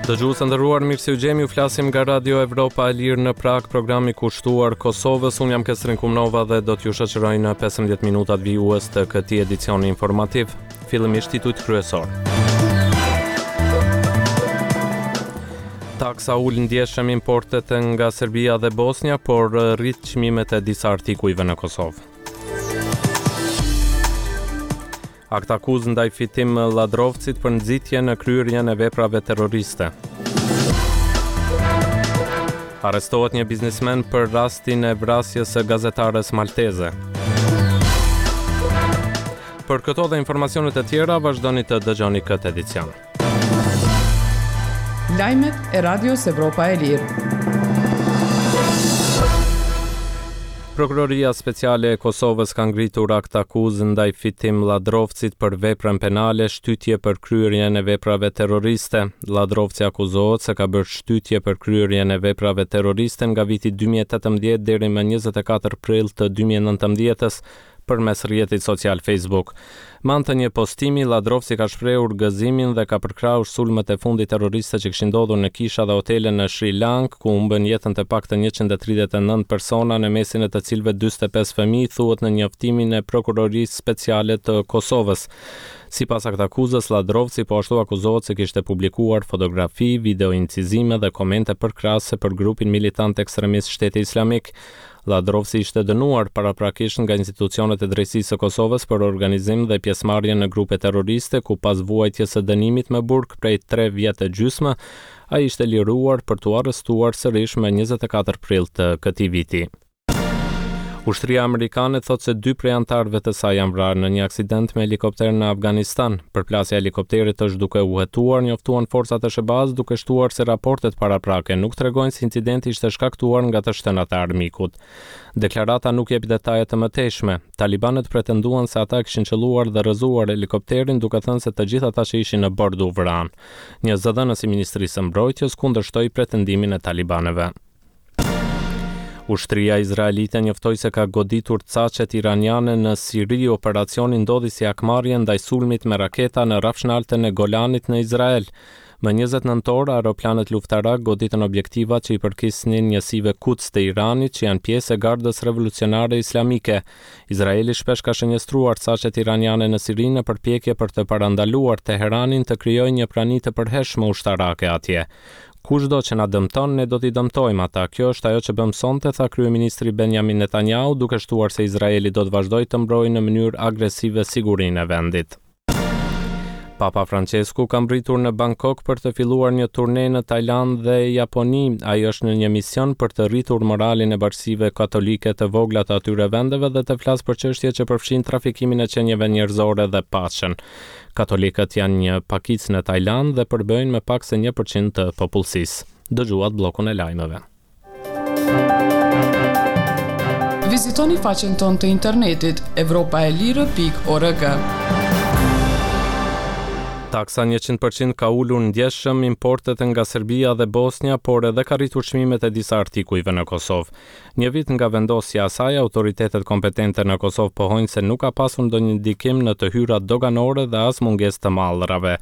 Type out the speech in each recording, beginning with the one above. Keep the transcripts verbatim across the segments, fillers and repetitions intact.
Dëgjues të nderuar, mirë se ju gjemi, ju flasim nga Radio Evropa e Lirë në Prag, programi kushtuar Kosovës. Unë jam Kestrin Kumnova dhe do t'ju shoqëroj në pesëmbëdhjetë minutat vijues të këtij edicioni informativ. Fillimisht titujt kryesor. Taksa ul ndjeshëm importet nga Serbia dhe Bosnja, por rrit çmimet e disa artikujve në Kosovë. Aktakuzë ndaj Fitim Lladrovcit për nxitje në kryerjen e veprave terroriste. Arrestohet një biznesmen për rastin e vrasjes së gazetares malteze. Për këto dhe informacionet e tjera, vazhdoni të dëgjoni këtë edicion. Lajmet e Radios Evropa e Lirë. Prokuroria Speciale e Kosovës ka ngritur aktakuzë ndaj Fitim Lladrovcit për veprën penale shtytje për kryerjen e veprave terroriste. Lladrovci akuzohet se ka bërë shtytje për kryerjen e veprave terroriste nga viti dy mijë e tetëmbëdhjetë deri më njëzet e katër prill të dy mijë e nëntëmbëdhjetës përmes rrjetit social Facebook. Me anë të një postimi, Lladrovci ka shprehur gëzimin dhe ka përkrahur sulmet e fundit terroriste që kishin ndodhur në kisha dhe hotele në Sri Lanka, ku humbën jetën të paktën njëqind e tridhjetë e nëntë persona, në mesin e të cilëve dyzet e pesë fëmijë, thuhet në njoftimin e Prokurorisë Speciale të Kosovës. Sipas aktakuzës, Lladrovci po ashtu akuzohet se kishte publikuar fotografi, videoincizime dhe komente përkrahëse për grupin militant ekstremist Shteti Islamik. Lladrovci ishte dënuar paraprakisht nga institucionet e drejtësisë së Kosovës për organizim dhe pjesëmarrje në grupe terroriste, ku pas vuajtjes së dënimit me burg prej tre vjet e gjysmë, ai ishte liruar për t'u arrestuar sërish më njëzet e katër prill të këtij viti. Ushtria amerikane thotë se dy prej anëtarëve të saj janë vrarë në një aksident me helikopter në Afganistan. Përplasja e helikopterit është duke u hetuar, njoftuan forcat e S H B A-s, duke shtuar se raportet paraprake nuk tregojnë se incidenti ishte shkaktuar nga të shtënat e armikut. Deklarata nuk jep detaje të mëtejshme. Talibanët pretenduan se ata kishin qelluar dhe rrëzuar helikopterin, duke thënë se të gjithë ata që ishin në bord u vranë. Një zëdhënës i Ministrisë së Mbrojtjes kundërshtoi pretendimin e talibanëve. Ushtria izraelite njoftoi se ka goditur caqet iraniane në Siri. Operacioni ndodhi si hakmarrje ndaj sulmit me raketa në rrafshnaltën e Golanit në Izrael. Më njëzet nëntor, aeroplanët luftarak goditën objektivat që i përkisnin njësive Quds të Iranit, që janë pjesë e Gardës Revolucionare Islamike. Izraeli shpesh ka shënjestruar caqet iraniane në Siri në përpjekje për të parandaluar Teheranin të krijojë një prani të përhershme ushtarake atje. Kushdo që na dëmton, ne do t'i dëmtojmë ata. Kjo është ajo që bëm sonte, tha kryeministri Benjamin Netanyahu, duke shtuar se Izraeli do të vazhdojë të mbrojë në mënyrë agresive sigurinë e vendit. Papa Francesku ka mbërritur në Bangkok për të filluar një turne në Tajlandë dhe Japoni. Ai është në një mision për të rritur moralin e bashkësive katolike të vogla të atyre vendeve dhe të flasë për çështje që përfshin trafikimin e qenieve njerëzore dhe paqen. Katolikët janë një pakicë në Tajlandë dhe përbëjnë më pak se një përqind të popullsisë. Dëgjuat bllokun e lajmeve. Vizitoni faqen tonë të internetit evropa e lirë pikë org. Taksa njëqind përqind ka ulur ndjeshëm importet nga Serbia dhe Bosnja, por edhe ka rritur çmimet e disa artikujve në Kosovë. Një vit nga vendosja e saj, autoritetet kompetente në Kosovë pohojnë se nuk ka pasur ndonjë ndikim në të hyrat doganore dhe as mungesë të mallrave.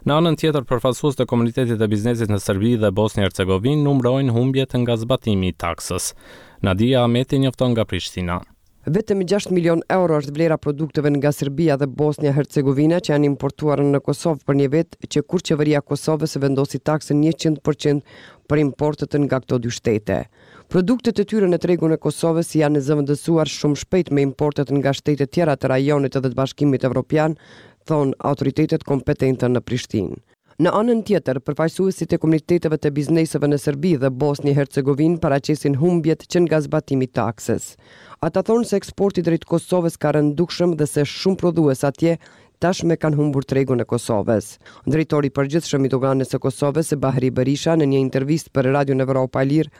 Në anën tjetër, përfaqësues të komunitetit të biznesit në Serbi dhe Bosnjë Hercegovinë numërojnë humbjet nga zbatimi i taksës. Nadia Ahmeti njofton nga Prishtina. Vetëm gjashtë milion euro është vlera produkteve nga Serbia dhe Bosnja Hercegovina që janë importuar në Kosovë për një vit, që kur qeveria e Kosovës vendosi taksën njëqind përqind për importet nga këto dy shtete. Produktet e tyre në tregun e Kosovës janë zëvendësuar shumë shpejt me importet nga shtete tjera të rajonit dhe të Bashkimit Evropian, thonë autoritetet kompetente në Prishtinë. Në anën tjetër, përfaqësuesit e komuniteteve të bizneseve në Serbi dhe Bosnjë Hercegovinë paraqesin humbjet që nga zbatimi i taksës. Ata thonë se eksporti drejt Kosovës ka rënë dukshëm dhe se shumë prodhues atje tashmë kanë humbur tregun e Kosovës. Drejtori i përgjithshëm i doganës së Kosovës, Bahri Berisha, në një intervistë për Radion Evropa e Lirë,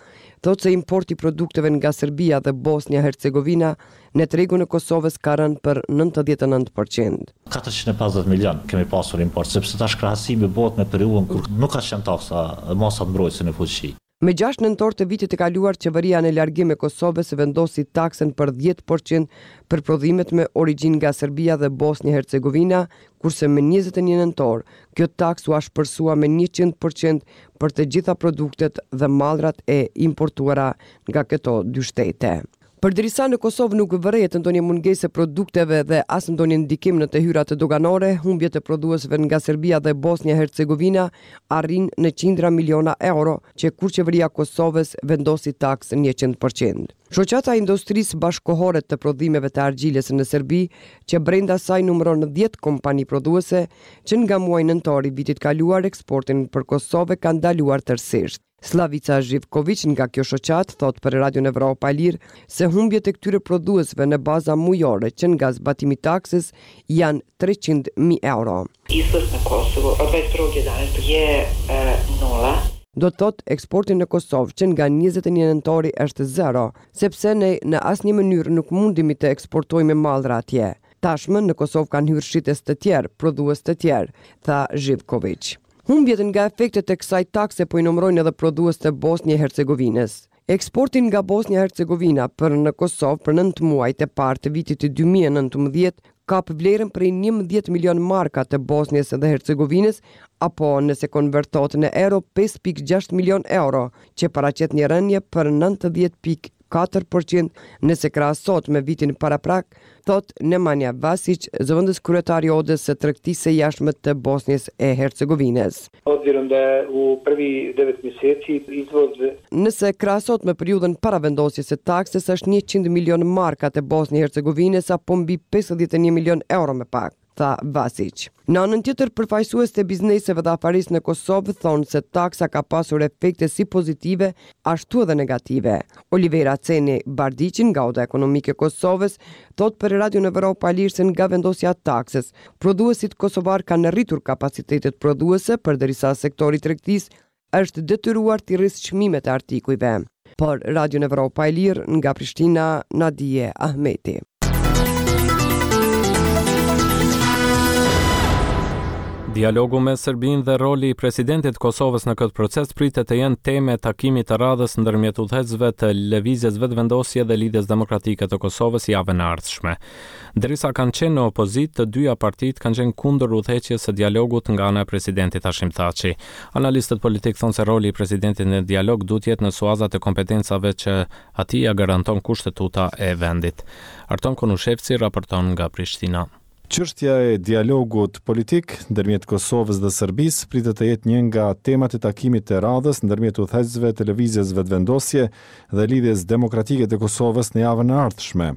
thotë se importi i produkteve nga Serbia dhe Bosnja Hercegovina në tregun e Kosovës ka rënë për nëntëdhjetë e nëntë përqind. katërqind e pesëdhjetë milion kemi pasur import, sepse tash krahasimi bëhet me periudhën kur nuk ka qenë taksa, masat mbrojtëse në fuqi. Me gjashtë nëntor të vitit të kaluar, qeveria në largim e Kosovës vendosi taksën për dhjetë për qind për prodhimet me origjinë nga Serbia dhe Bosnjë Hercegovina, kurse me njëzet e një nëntor, kjo taksë u ashpërsua me njëqind për qind për të gjitha produktet dhe mallrat e importuara nga këto dy shtete. Përderisa në Kosovë nuk vërehet ndonjë mungesë e produkteve dhe as ndonjë ndikim në të hyrat doganore, humbjet e prodhuesve nga Serbia dhe Bosnja Hercegovina arrin në qindra miliona euro që kur qeveria e Kosovës vendosi taksën njëqind për qind. Shoqata e Industrisë Bashkëkohore të Prodhimeve të Argjilës në Serbi, që brenda saj numëron dhjetë kompani prodhuese, që nga muaji nëntor i vitit kaluar eksportin për Kosovë kanë ndaluar tërësisht. Slavica Zhivkoviq nga kjo shoqatë thot për Radion Evropa e Lirë se humbjet e këtyre prodhuesve në baza mujore që nga zbatimi i taksës janë treqind mijë euro. Izvoz në Kosovo od dvadeset prvog jedanaestog je e, nula. Do të thotë, eksporti në Kosovë që nga njëzet e një nëntori është zero, sepse ne në asnjë mënyrë nuk mundemi të eksportojmë mallra atje. Tashmë në Kosovë kanë hyrë shitës të tjerë, prodhues të tjerë, tha Zhivkoviq. Humbjet nga efektet e kësaj takse po i numërojnë edhe prodhues të Bosnjë e Hercegovinës. Eksporti nga Bosnja e Hercegovina për në Kosovë për nëntë muajt e parë të vitit dy mijë e nëntëmbëdhjetë kap vlerën prej njëmbëdhjetë milion marka të Bosnjës dhe Hercegovinës, apo nëse konvertohet në euro, pesë pikë gjashtë milion euro, që paraqet një rënie për nëntëdhjetë pikë katër për qind nëse krahasohet me vitin paraprak, thot Nemanja Vasić, zëvendës kryetar i Odës së Tregtisë së Jashtme të Bosnjës e Hercegovinës. Obzirom da je u prvi devet mjeseci izvoz Nëse krahasohet me periudhën para vendosjes së taksës, është njëqind milion marka të Bosnjë e Hercegovinës apo mbi pesëdhjetë e një milion euro më pak, tha Vasić. Në anën tjetër, përfaqësues të bizneseve dhe afarisë në Kosovë thonë se taksa ka pasur efekte si pozitive, ashtu edhe negative. Olivera Ceni Bardiqin nga Oda Ekonomike e Kosovës thot për Radion Evropa e Lirë se nga vendosja e taksës, prodhuesit kosovar kanë rritur kapacitetet prodhuese, përderisa sektori i tregtisë është detyruar t'i rrisë çmimet e artikujve. Për Radion Evropa e Lirë nga Prishtina, Nadie Ahmeti. Dialogu me Serbinë dhe roli i presidentit të Kosovës në këtë proces pritet të jenë temë e takimit të radhës ndërmjet udhëheqësve të Lëvizjes Vetëvendosje dhe Lidhjes Demokratike të Kosovës javën e ardhshme. Derisa kanë qenë në opozitë, të dyja partitë kanë qenë kundër udhëheqjes së dialogut nga ana e presidentit Hashim Thaçi. Analistët politik thonë se roli i presidentit në dialog duhet jetë në suazat e kompetencave që atij ia garanton kushtetuta e vendit. Arton Konushevci raporton nga Prishtina. Çështja e dialogut politik ndërmjet Kosovës dhe Serbisë pritet të jetë një nga temat e takimit të radhës ndërmjet udhëheqësve të Lëvizjes Vetëvendosje dhe Lidhjes Demokratike të Kosovës në javën e ardhshme.